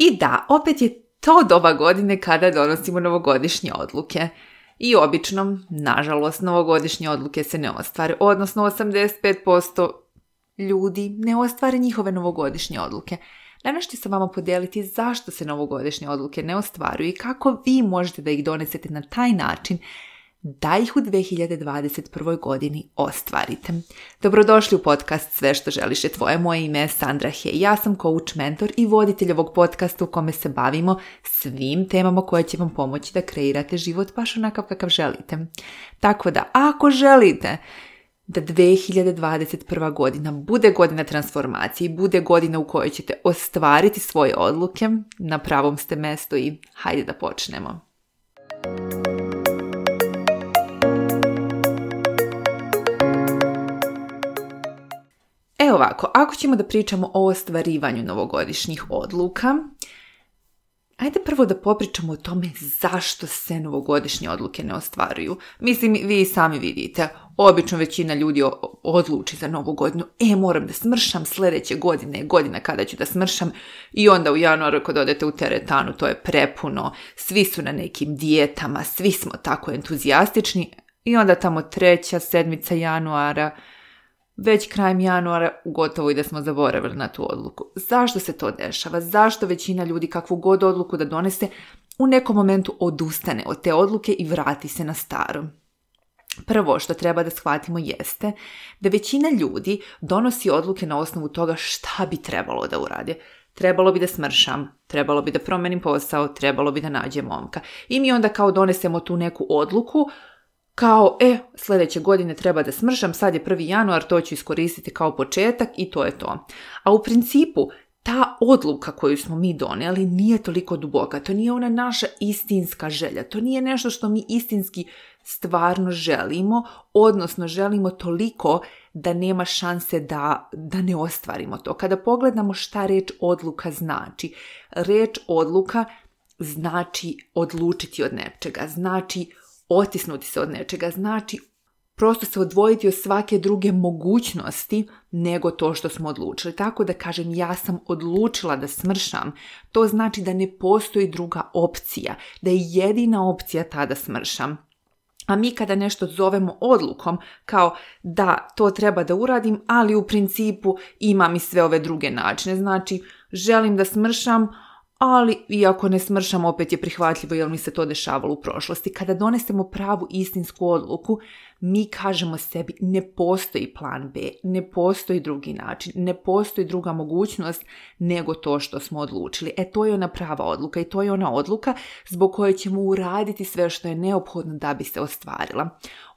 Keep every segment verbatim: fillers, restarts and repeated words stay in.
I da, opet je to doba godine kada donosimo novogodišnje odluke. I obično, nažalost, novogodišnje odluke se ne ostvare, odnosno osamdeset pet posto ljudi ne ostvare njihove novogodišnje odluke. Danas ću sa vama podijeliti zašto se novogodišnje odluke ne ostvaruju i kako vi možete da ih donesete na taj način da ih u dve hiljade dvadeset prvoj. godini ostvarite. Dobrodošli u podcast Sve što želiš je tvoje. Moje ime je Sandra Hej. Ja sam coach, mentor i voditelj ovog podcasta u kome se bavimo svim temama koje će vam pomoći da kreirate život baš onakav kakav želite. Tako da, ako želite da dve hiljade dvadeset prva. godina bude godina transformacije i bude godina u kojoj ćete ostvariti svoje odluke, na pravom ste mestu i hajde da počnemo. Evo ovako, ako ćemo da pričamo o ostvarivanju novogodišnjih odluka, ajde prvo da popričamo o tome zašto se novogodišnje odluke ne ostvaruju. Mislim, vi sami vidite, obično većina ljudi odluči za novu godinu, e, moram da smršam, sljedeće godine je godina kada ću da smršam i onda u januaru kad odete u teretanu, to je prepuno, svi su na nekim dijetama, svi smo tako entuzijastični i onda tamo treća sedmica januara, već krajem januara gotovo i da smo zaboravili na tu odluku. Zašto se to dešava? Zašto većina ljudi kakvu god odluku da donese u nekom momentu odustane od te odluke i vrati se na staro? Prvo što treba da shvatimo jeste da većina ljudi donosi odluke na osnovu toga šta bi trebalo da urade. Trebalo bi da smršam, trebalo bi da promenim posao, trebalo bi da nađem momka. I mi onda kao donesemo tu neku odluku kao, e, sljedeće godine treba da smršam, sad je prvi januar, to ću iskoristiti kao početak i to je to. A u principu, ta odluka koju smo mi donijeli nije toliko duboka, to nije ona naša istinska želja, to nije nešto što mi istinski stvarno želimo, odnosno želimo toliko da nema šanse da, da ne ostvarimo to. Kada pogledamo šta reč odluka znači, reč odluka znači odlučiti od nečega, znači otisnuti se od nečega, znači prosto se odvojiti od svake druge mogućnosti nego to što smo odlučili. Tako da kažem, ja sam odlučila da smršam, to znači da ne postoji druga opcija, da je jedina opcija ta da smršam. A mi kada nešto zovemo odlukom, kao da to treba da uradim, ali u principu imam i sve ove druge načine, znači želim da smršam, ali iako ne smršam, opet je prihvatljivo jer mi se to dešavalo u prošlosti. Kada donesemo pravu istinsku odluku, mi kažemo sebi ne postoji plan B, ne postoji drugi način, ne postoji druga mogućnost nego to što smo odlučili. E, to je ona prava odluka i to je ona odluka zbog koje ćemo uraditi sve što je neophodno da bi se ostvarila.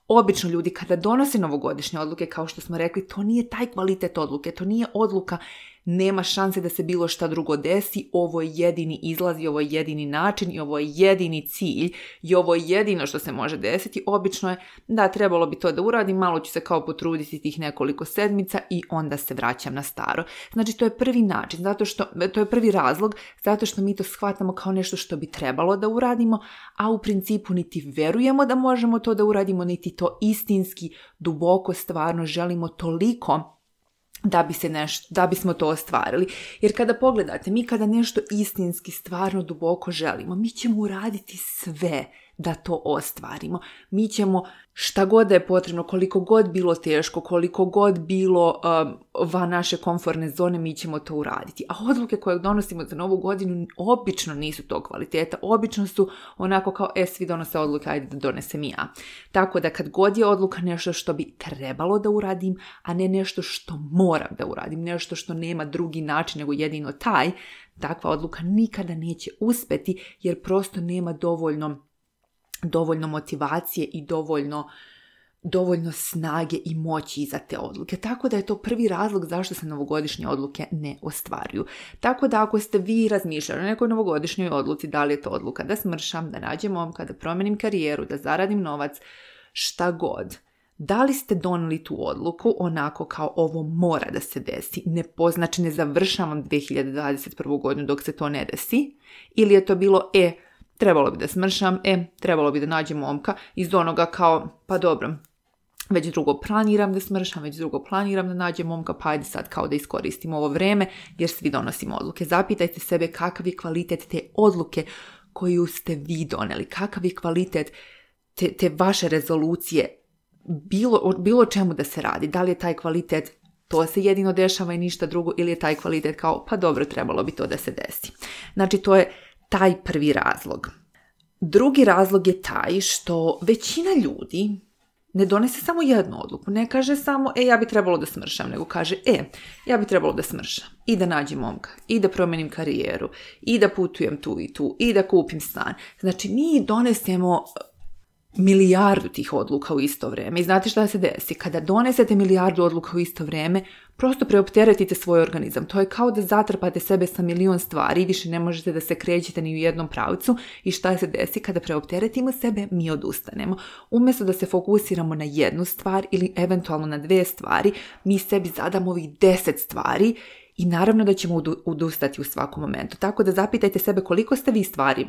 Obično ljudi kada donose novogodišnje odluke, kao što smo rekli, to nije taj kvalitet odluke, to nije odluka, nema šanse da se bilo šta drugo desi, ovo je jedini izlaz i ovo je jedini način i ovo je jedini cilj i ovo je jedino što se može desiti. Obično je da trebalo bi to da uradim, malo ću se kao potruditi tih nekoliko sedmica i onda se vraćam na staro. Znači to je prvi način, zato što, to je prvi razlog, zato što mi to shvatamo kao nešto što bi trebalo da uradimo, a u principu niti verujemo da možemo to da uradimo, niti to istinski, duboko, stvarno želimo toliko da bi se nešto, da bismo to ostvarili. Jer kada pogledate, mi kada nešto istinski, stvarno duboko želimo, mi ćemo uraditi sve da to ostvarimo. Mi ćemo šta god da je potrebno, koliko god bilo teško, koliko god bilo um, van naše komfortne zone, mi ćemo to uraditi. A odluke koje donosimo za novu godinu obično nisu to kvaliteta, obično su onako kao, e, svi donose odluke, ajde da donesem i ja. Tako da kad god je odluka nešto što bi trebalo da uradim, a ne nešto što moram da uradim, nešto što nema drugi način nego jedino taj, takva odluka nikada neće uspeti jer prosto nema dovoljno dovoljno motivacije i dovoljno, dovoljno snage i moći iza te odluke. Tako da je to prvi razlog zašto se novogodišnje odluke ne ostvaruju. Tako da ako ste vi razmišljali o nekoj novogodišnjoj odluci, da li je to odluka da smršam, da nađem momka, da promenim karijeru, da zaradim novac, šta god, da li ste doneli tu odluku onako kao ovo mora da se desi, ne znači ne završavam dve hiljade dvadeset prvu. godinu dok se to ne desi, ili je to bilo, e, trebalo bi da smršam, e, trebalo bi da nađem momka iz onoga kao, pa dobro, već drugo planiram da smršam, već drugo planiram da nađem momka, pa ajde sad kao da iskoristim ovo vreme jer svi donosimo odluke. Zapitajte sebe kakav je kvalitet te odluke koju ste vi doneli, kakav je kvalitet te, te vaše rezolucije, bilo, bilo čemu da se radi, da li je taj kvalitet to se jedino dešava i ništa drugo ili je taj kvalitet kao pa dobro trebalo bi to da se desi. Znači to je taj prvi razlog. Drugi razlog je taj što većina ljudi ne donese samo jednu odluku, ne kaže samo e ja bi trebalo da smršam, nego kaže e ja bi trebalo da smršam i da nađem momka i da promenim karijeru i da putujem tu i tu i da kupim stan. Znači mi donesemo milijardu tih odluka u isto vrijeme. I znate šta se desi? Kada donesete milijardu odluka u isto vrijeme, prosto preopteretite svoj organizam. To je kao da zatrpate sebe sa milion stvari i više ne možete da se krećete ni u jednom pravcu. I šta se desi? Kada preopteretimo sebe, mi odustanemo. Umjesto da se fokusiramo na jednu stvar ili eventualno na dve stvari, mi sebi zadamo ovih deset stvari i naravno da ćemo odustati u svakom momentu. Tako da zapitajte sebe koliko ste vi stvari,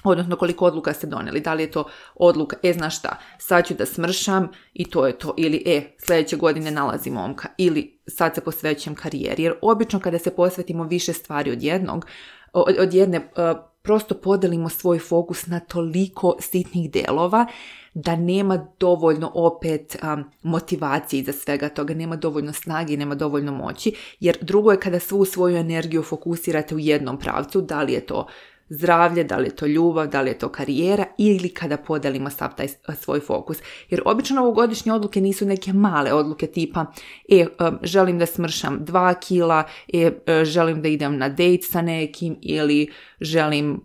odnosno koliko odluka ste donijeli. Da li je to odluka, e znaš šta, sad ću da smršam i to je to. Ili e, sljedeće godine nalazim momka. Ili sad se posvećujem karijeri. Jer obično kada se posvetimo više stvari od jednog, od, od jedne, uh, prosto podelimo svoj fokus na toliko sitnih delova da nema dovoljno opet um, motivacije iza svega toga, nema dovoljno snage i nema dovoljno moći. Jer drugo je kada svu svoju energiju fokusirate u jednom pravcu, da li je to zdravlje, da li je to ljubav, da li je to karijera ili kada podelimo sav taj svoj fokus. Jer obično novogodišnje odluke nisu neke male odluke tipa e, želim da smršam dva kila, e, želim da idem na dejt sa nekim ili želim,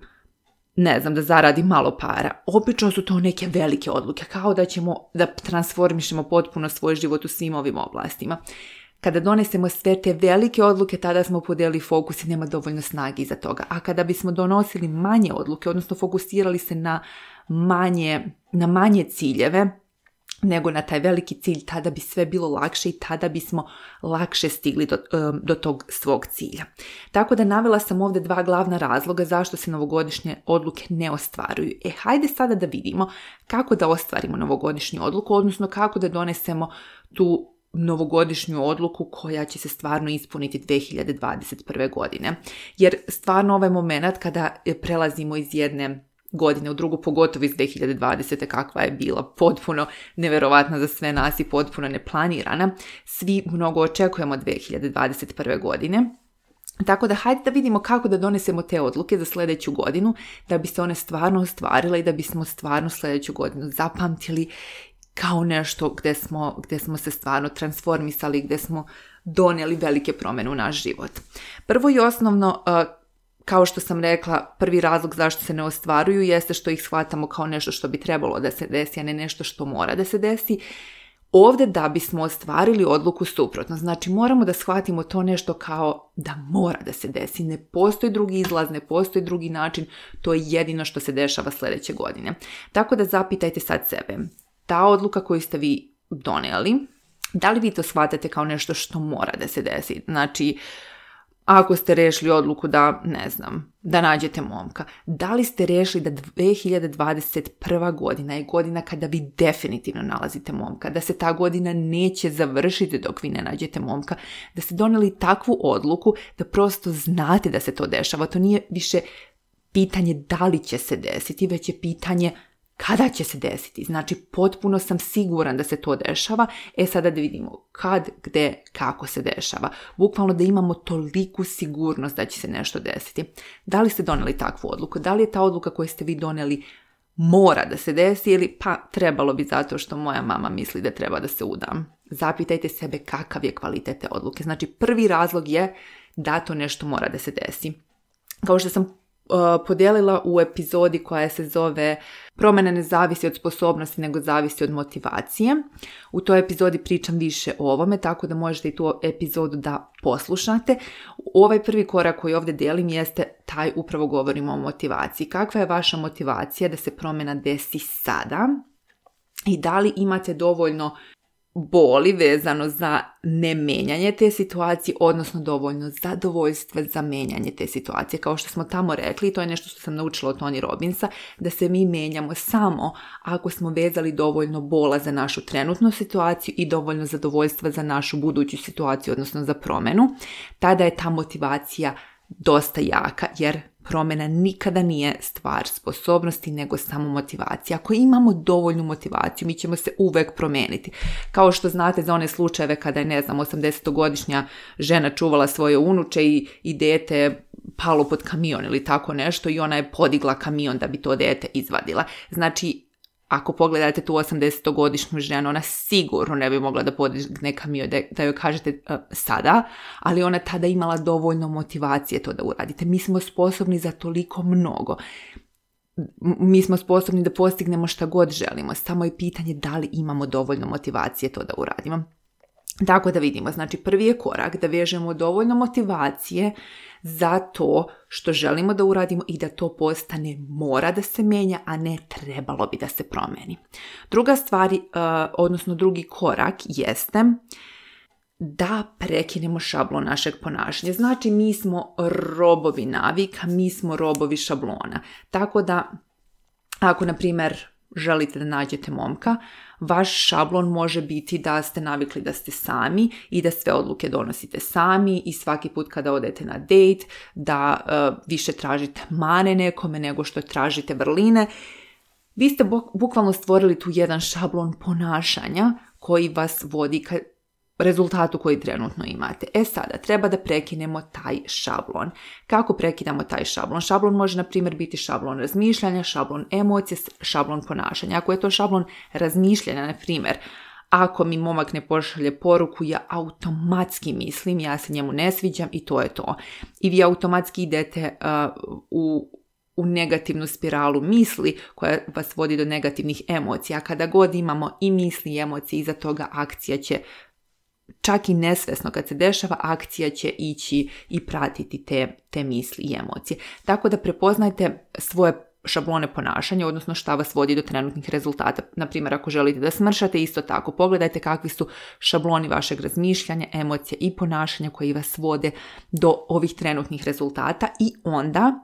ne znam, da zaradim malo para. Obično su to neke velike odluke, kao da ćemo da transformišemo potpuno svoj život u svim ovim oblastima. Kada donesemo sve te velike odluke, tada smo podelili fokus i nema dovoljno snage iza toga. A kada bismo donosili manje odluke, odnosno fokusirali se na manje, na manje ciljeve, nego na taj veliki cilj, tada bi sve bilo lakše i tada bismo lakše stigli do, do tog svog cilja. Tako da navela sam ovdje dva glavna razloga zašto se novogodišnje odluke ne ostvaruju. E, hajde sada da vidimo kako da ostvarimo novogodišnju odluku, odnosno kako da donesemo tu novogodišnju odluku koja će se stvarno ispuniti dvije hiljade dvadeset prve. godine. Jer stvarno ovaj moment kada prelazimo iz jedne godine u drugu, pogotovo iz dvije hiljade dvadesete. kakva je bila potpuno neverovatna za sve nas i potpuno neplanirana, svi mnogo očekujemo od dvije hiljade dvadeset prve. godine. Tako da hajde da vidimo kako da donesemo te odluke za sljedeću godinu, da bi se one stvarno ostvarile i da bismo stvarno sljedeću godinu zapamtili kao nešto gdje smo, gdje smo se stvarno transformisali, gdje smo donijeli velike promjene u naš život. Prvo i osnovno, kao što sam rekla, prvi razlog zašto se ne ostvaruju jeste što ih shvatamo kao nešto što bi trebalo da se desi, a ne nešto što mora da se desi. Ovdje da bismo ostvarili odluku suprotno. Znači moramo da shvatimo to nešto kao da mora da se desi. Ne postoji drugi izlaz, ne postoji drugi način. To je jedino što se dešava sljedeće godine. Tako da zapitajte sad sebe. Ta odluka koju ste vi donijeli, da li vi to shvatate kao nešto što mora da se desi? Znači, ako ste rešili odluku da, ne znam, da nađete momka, da li ste rešili da dvije hiljade dvadeset prva. godina je godina kada vi definitivno nalazite momka, da se ta godina neće završiti dok vi ne nađete momka, da ste donijeli takvu odluku da prosto znate da se to dešava. To nije više pitanje da li će se desiti, već je pitanje kada će se desiti. Znači, potpuno sam siguran da se to dešava. E sada da vidimo kad, gde, kako se dešava. Bukvalno da imamo toliku sigurnost da će se nešto desiti. Da li ste donijeli takvu odluku? Da li je ta odluka koju ste vi donijeli mora da se desi ili pa trebalo bi zato što moja mama misli da treba da se udam? Zapitajte sebe kakav je kvalitet te odluke. Znači, prvi razlog je da to nešto mora da se desi. Kao što sam podijelila u epizodi koja se zove Promjena ne zavisi od sposobnosti nego zavisi od motivacije. U toj epizodi pričam više o ovome, tako da možete i tu epizodu da poslušate. Ovaj prvi korak koji ovdje delim jeste taj, upravo govorimo o motivaciji. Kakva je vaša motivacija da se promjena desi sada? I da li imate dovoljno boli vezano za nemenjanje te situacije, odnosno dovoljno zadovoljstva za menjanje te situacije. Kao što smo tamo rekli, to je nešto što sam naučila od Tony Robbinsa, da se mi menjamo samo ako smo vezali dovoljno bola za našu trenutnu situaciju i dovoljno zadovoljstva za našu buduću situaciju, odnosno za promjenu. Tada je ta motivacija dosta jaka, jer promjena nikada nije stvar sposobnosti, nego samo motivacija. Ako imamo dovoljnu motivaciju, mi ćemo se uvek promijeniti. Kao što znate za one slučajeve kada je, ne znam, osamdesetogodišnja žena čuvala svoje unuče i, i dete palo pod kamion ili tako nešto i ona je podigla kamion da bi to dete izvadila. Znači, ako pogledate tu osamdesetogodišnju ženu, ona sigurno ne bi mogla da podigne kamion, da, da joj kažete uh, sada, ali ona tada imala dovoljno motivacije to da uradite. Mi smo sposobni za toliko mnogo. Mi smo sposobni da postignemo šta god želimo. Samo je pitanje da li imamo dovoljno motivacije to da uradimo. Tako da vidimo, znači prvi je korak da vežemo dovoljno motivacije za to što želimo da uradimo i da to postane mora da se menja, a ne trebalo bi da se promeni. Druga stvar, uh, odnosno drugi korak jeste da prekinemo šablon našeg ponašanja. Znači mi smo robovi navika, mi smo robovi šablona. Tako da ako, na primjer, želite da nađete momka, vaš šablon može biti da ste navikli da ste sami i da sve odluke donosite sami i svaki put kada odete na dejt da uh, više tražite mane nekome nego što tražite vrline. Vi ste bukvalno stvorili tu jedan šablon ponašanja koji vas vodi ka rezultatu koji trenutno imate. E sada, treba da prekinemo taj šablon. Kako prekidamo taj šablon? Šablon može, na primjer, biti šablon razmišljanja, šablon emocije, šablon ponašanja. Ako je to šablon razmišljanja, na primjer, ako mi momak ne pošalje poruku, ja automatski mislim, ja se njemu ne sviđam i to je to. I vi automatski idete uh, u u negativnu spiralu misli koja vas vodi do negativnih emocija. Kada god imamo i misli i emocije, iza toga akcija će, čak i nesvesno kad se dešava, akcija će ići i pratiti te, te misli i emocije. Tako da prepoznajte svoje šablone ponašanja, odnosno šta vas vodi do trenutnih rezultata. Naprimjer, ako želite da smršate, isto tako pogledajte kakvi su šabloni vašeg razmišljanja, emocija i ponašanja koji vas vode do ovih trenutnih rezultata i onda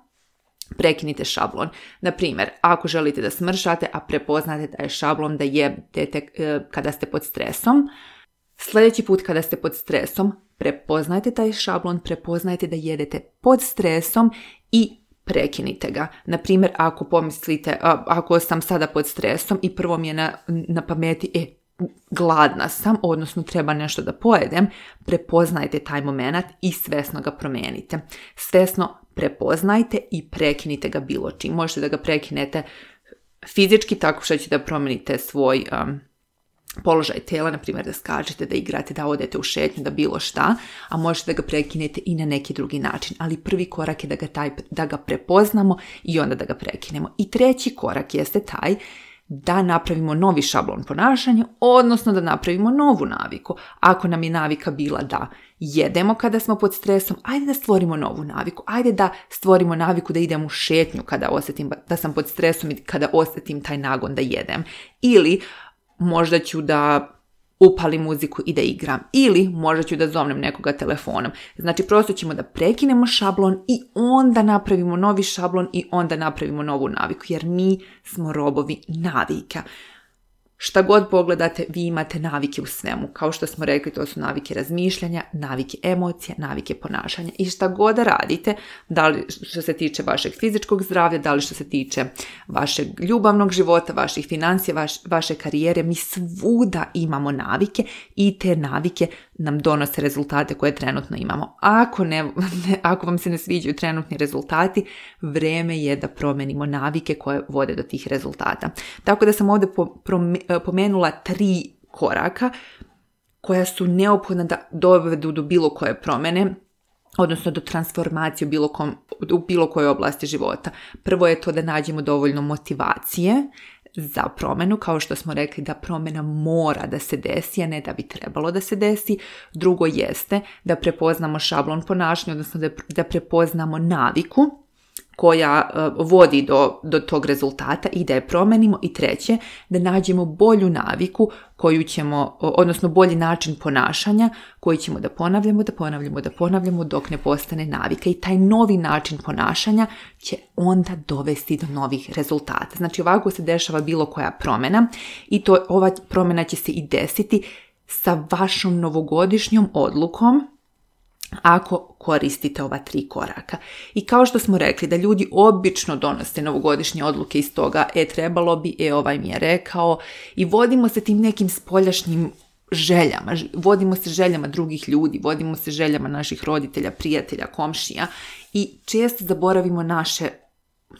prekinite šablon. Na primjer, ako želite da smršate, a prepoznate da je šablon da jedete kada ste pod stresom, sljedeći put kada ste pod stresom, prepoznajte taj šablon, prepoznajte da jedete pod stresom i prekinite ga. Na primjer, ako pomislite, ako sam sada pod stresom i prvo mi je na, na pameti, e, gladna sam, odnosno treba nešto da pojedem, prepoznajte taj moment i svesno ga promijenite. Svesno prepoznajte i prekinite ga bilo čim. Možete da ga prekinete fizički tako što ćete da promijenite svoj um, položaj tela, na primjer da skačete, da igrate, da odete u šetnju, da bilo šta, a možete da ga prekinete i na neki drugi način. Ali prvi korak je da ga, taj, da ga prepoznamo i onda da ga prekinemo. I treći korak jeste taj da napravimo novi šablon ponašanja, odnosno da napravimo novu naviku. Ako nam je navika bila da jedemo kada smo pod stresom, ajde da stvorimo novu naviku. Ajde da stvorimo naviku da idem u šetnju kada osjetim da sam pod stresom i kada osjetim taj nagon da jedem. Ili možda ću da upalim muziku i da igram. Ili možda ću da zovnem nekoga telefonom. Znači, prosto ćemo da prekinemo šablon i onda napravimo novi šablon i onda napravimo novu naviku. Jer mi smo robovi navika. Šta god pogledate, vi imate navike u svemu. Kao što smo rekli, to su navike razmišljanja, navike emocija, navike ponašanja. I šta god da radite, da li što se tiče vašeg fizičkog zdravlja, da li što se tiče vašeg ljubavnog života, vaših financija, vaš, vaše karijere, mi svuda imamo navike i te navike nam donose rezultate koje trenutno imamo. Ako, ne, ne, ako vam se ne sviđaju trenutni rezultati, vrijeme je da promenimo navike koje vode do tih rezultata. Tako da sam ovdje po, prom, pomenula tri koraka koja su neophodna da dovedu do bilo koje promjene, odnosno do transformacije u bilo, kom, u bilo kojoj oblasti života. Prvo je to da nađemo dovoljno motivacije za promjenu, kao što smo rekli da promjena mora da se desi, a ne da bi trebalo da se desi. Drugo jeste da prepoznamo šablon ponašanja, odnosno da, da prepoznamo naviku koja uh, vodi do, do tog rezultata i da je promenimo. I treće, da nađemo bolju naviku koju ćemo, odnosno bolji način ponašanja koji ćemo da ponavljamo, da ponavljamo, da ponavljamo dok ne postane navika. I taj novi način ponašanja će onda dovesti do novih rezultata. Znači ovako se dešava bilo koja promjena i to, ova promjena će se i desiti sa vašom novogodišnjom odlukom ako koristite ova tri koraka. I kao što smo rekli da ljudi obično donose novogodišnje odluke iz toga, e trebalo bi, e ovaj mi je rekao, i vodimo se tim nekim spoljašnjim željama, vodimo se željama drugih ljudi, vodimo se željama naših roditelja, prijatelja, komšija i često zaboravimo naše,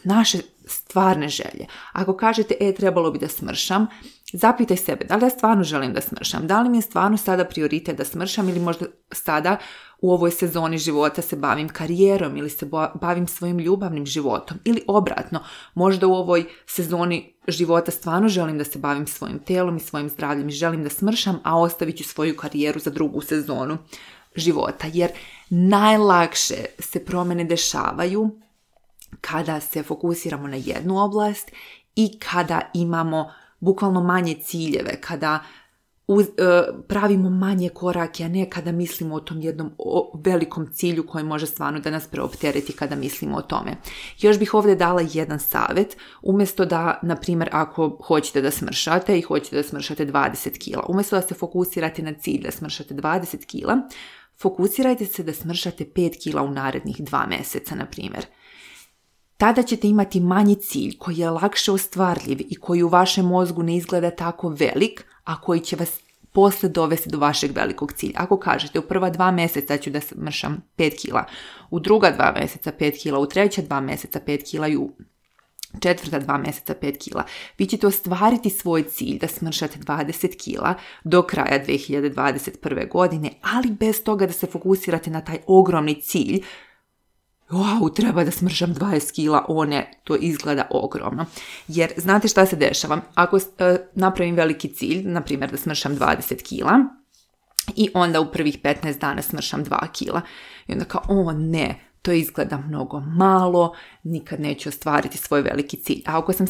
naše stvarne želje. Ako kažete, e trebalo bi da smršam, zapitaj sebe, da li ja stvarno želim da smršam, da li mi je stvarno sada prioritet da smršam ili možda sada u ovoj sezoni života se bavim karijerom ili se bavim svojim ljubavnim životom ili obratno, možda u ovoj sezoni života stvarno želim da se bavim svojim telom i svojim zdravljem i želim da smršam, a ostavit ću svoju karijeru za drugu sezonu života, jer najlakše se promjene dešavaju kada se fokusiramo na jednu oblast i kada imamo bukvalno manje ciljeve, kada uz, e, pravimo manje korake, a ne kada mislimo o tom jednom o velikom cilju koji može stvarno da nas preoptereti kada mislimo o tome. Još bih ovdje dala jedan savjet, umjesto da, na primjer, ako hoćete da smršate i hoćete da smršate dvadeset kila, umjesto da se fokusirate na cilj da smršate dvadeset kila, fokusirajte se da smršate pet kila u narednih dva mjeseca, na primjer. Tada ćete imati manji cilj koji je lakše ostvarljiv i koji u vašem mozgu ne izgleda tako velik, a koji će vas posle dovesti do vašeg velikog cilja. Ako kažete u prva dva mjeseca ću da smršam pet kila, u druga dva mjeseca pet kila, u treća dva mjeseca pet kila i u četvrta dva mjeseca pet kila, vi ćete ostvariti svoj cilj da smršate dvadeset kila do kraja dve hiljade dvadeset prve. godine, ali bez toga da se fokusirate na taj ogromni cilj. Wow, treba da smršam dvadeset kila, o ne, to izgleda ogromno. Jer znate šta se dešava? Ako uh, napravim veliki cilj, na primjer da smršam dvadeset kila i onda u prvih petnaest dana smršam dva kila i onda kao, o ne, to izgleda mnogo malo, nikad neću ostvariti svoj veliki cilj. A ako sam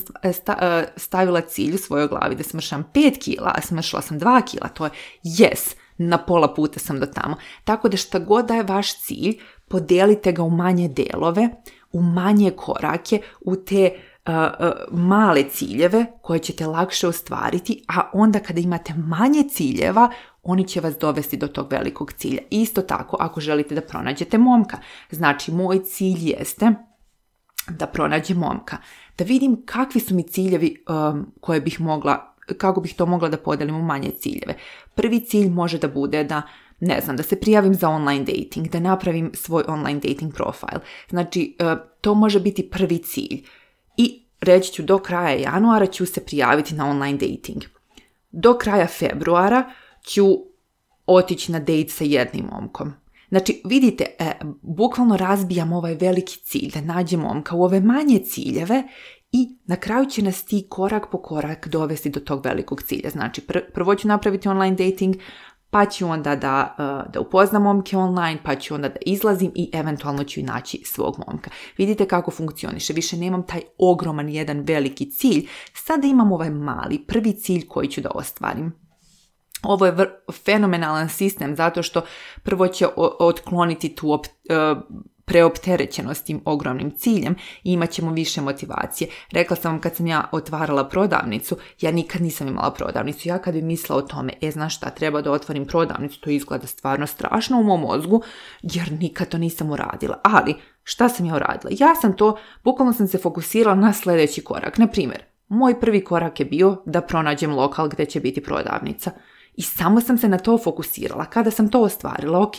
stavila cilj u svojoj glavi da smršam pet kila, a smršila sam dva kila, to je yes, na pola puta sam do tamo. Tako da šta god da je vaš cilj, podijelite ga u manje delove, u manje korake, u te uh, uh, male ciljeve koje ćete lakše ostvariti, a onda kada imate manje ciljeva, oni će vas dovesti do tog velikog cilja. Isto tako, ako želite da pronađete momka. Znači, moj cilj jeste da pronađem momka. Da vidim kakvi su mi ciljevi um, koje bih mogla, kako bih to mogla da podelim u manje ciljeve. Prvi cilj može da bude da, ne znam, da se prijavim za online dating, da napravim svoj online dating profil. Znači, uh, to može biti prvi cilj. I reći ću, do kraja januara ću se prijaviti na online dating. Do kraja februara ću otići na date sa jednim momkom. Znači, vidite, e, bukvalno razbijam ovaj veliki cilj da nađem momka u ove manje ciljeve i na kraju će nas ti korak po korak dovesti do tog velikog cilja. Znači, pr- prvo ću napraviti online dating, pa ću onda da, uh, da upoznam momke online, pa ću onda da izlazim i eventualno ću i naći svog momka. Vidite kako funkcioniše. Više nemam taj ogroman jedan veliki cilj, sada imam ovaj mali prvi cilj koji ću da ostvarim. Ovo je vr- fenomenalan sistem zato što prvo će o- otkloniti tu op- uh, preopterećenost tim ogromnim ciljem i imat ćemo više motivacije. Rekla sam vam kad sam ja otvarala prodavnicu, ja nikad nisam imala prodavnicu. Ja kad bi mislila o tome, e znaš šta, treba da otvorim prodavnicu, to izgleda stvarno strašno u mom mozgu, jer nikad to nisam uradila. Ali, šta sam ja uradila? Ja sam to, bukvalno sam se fokusirala na sljedeći korak. Na primjer, moj prvi korak je bio da pronađem lokal gdje će biti prodavnica. I samo sam se na to fokusirala. Kada sam to ostvarila, ok,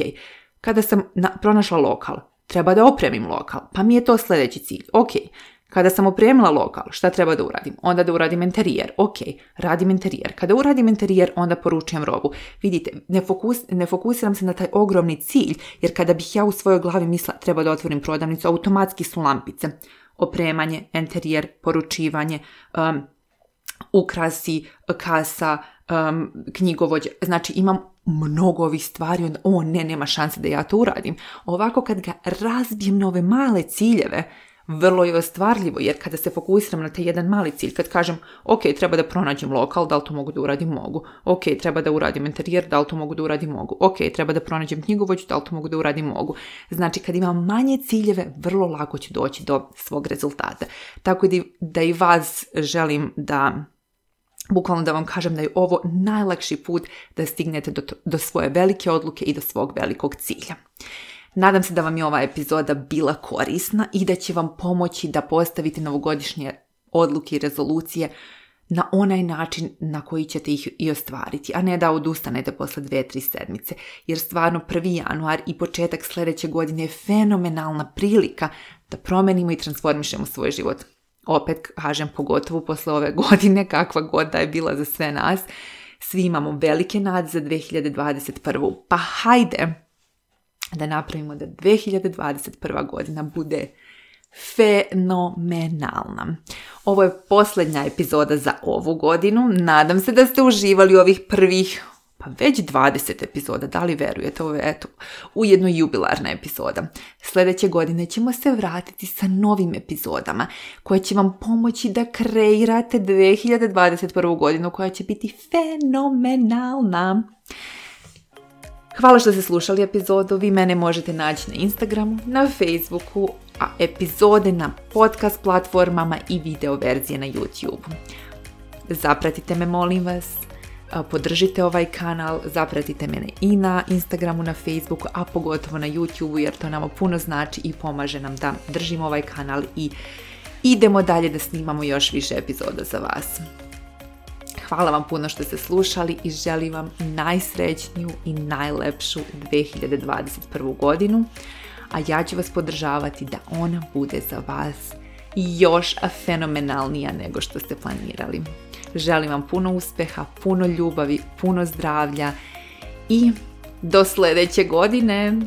kada sam na, pronašla lokal, treba da opremim lokal, pa mi je to sljedeći cilj, ok. Kada sam opremila lokal, šta treba da uradim? Onda da uradim interijer, ok, radim interijer. Kada uradim interijer, onda poručujem robu. Vidite, ne, fokus, ne fokusiram se na taj ogromni cilj, jer kada bih ja u svojoj glavi mislila treba da otvorim prodavnicu, automatski su lampice. Opremanje, interijer, poručivanje, um, ukrasi, kasa, um, knjigovođa. Znači imam mnogo ovih stvari, onda, o ne, nema šanse da ja to uradim. Ovako kad ga razbijem na ove male ciljeve, vrlo je ostvarljivo, jer kada se fokusiram na taj jedan mali cilj, kad kažem, ok, treba da pronađem lokal, da li to mogu da uradim? Mogu. Ok, treba da uradim interijer, da li to mogu da uradim? Mogu. Ok, treba da pronađem knjigovođu, da li to mogu da uradim? Mogu. Znači, kad imam manje ciljeve, vrlo lako ću doći do svog rezultata. Tako da, da i vas želim da, bukvalno da vam kažem da je ovo najlakši put da stignete do, do svoje velike odluke i do svog velikog cilja. Nadam se da vam je ova epizoda bila korisna i da će vam pomoći da postavite novogodišnje odluke i rezolucije na onaj način na koji ćete ih i ostvariti, a ne da odustanete posle dve, tri sedmice. Jer stvarno prvi januar i početak sljedeće godine je fenomenalna prilika da promenimo i transformišemo svoj život. Opet kažem, pogotovo posle ove godine, kakva god da je bila za sve nas, svi imamo velike nade za dve hiljade dvadeset prvu. Pa hajde da napravimo da dve hiljade dvadeset prva godina bude fenomenalna. Ovo je posljednja epizoda za ovu godinu. Nadam se da ste uživali ovih prvih, pa već dvadeset epizoda, da li verujete, ovo je eto, ujedno jubilarna epizoda. Sljedeće godine ćemo se vratiti sa novim epizodama koje će vam pomoći da kreirate dve hiljade dvadeset prvu godinu koja će biti fenomenalna. Hvala što ste slušali epizodu. Vi mene možete naći na Instagramu, na Facebooku, a epizode na podcast platformama i video verzije na YouTube. Zapratite me, molim vas, podržite ovaj kanal, zapratite mene i na Instagramu, na Facebooku, a pogotovo na YouTube, jer to nama puno znači i pomaže nam da držimo ovaj kanal i idemo dalje da snimamo još više epizoda za vas. Hvala vam puno što ste slušali i želim vam najsrećniju i najlepšu dve hiljade dvadeset prvu godinu, a ja ću vas podržavati da ona bude za vas još fenomenalnija nego što ste planirali. Želim vam puno uspjeha, puno ljubavi, puno zdravlja i do sljedeće godine.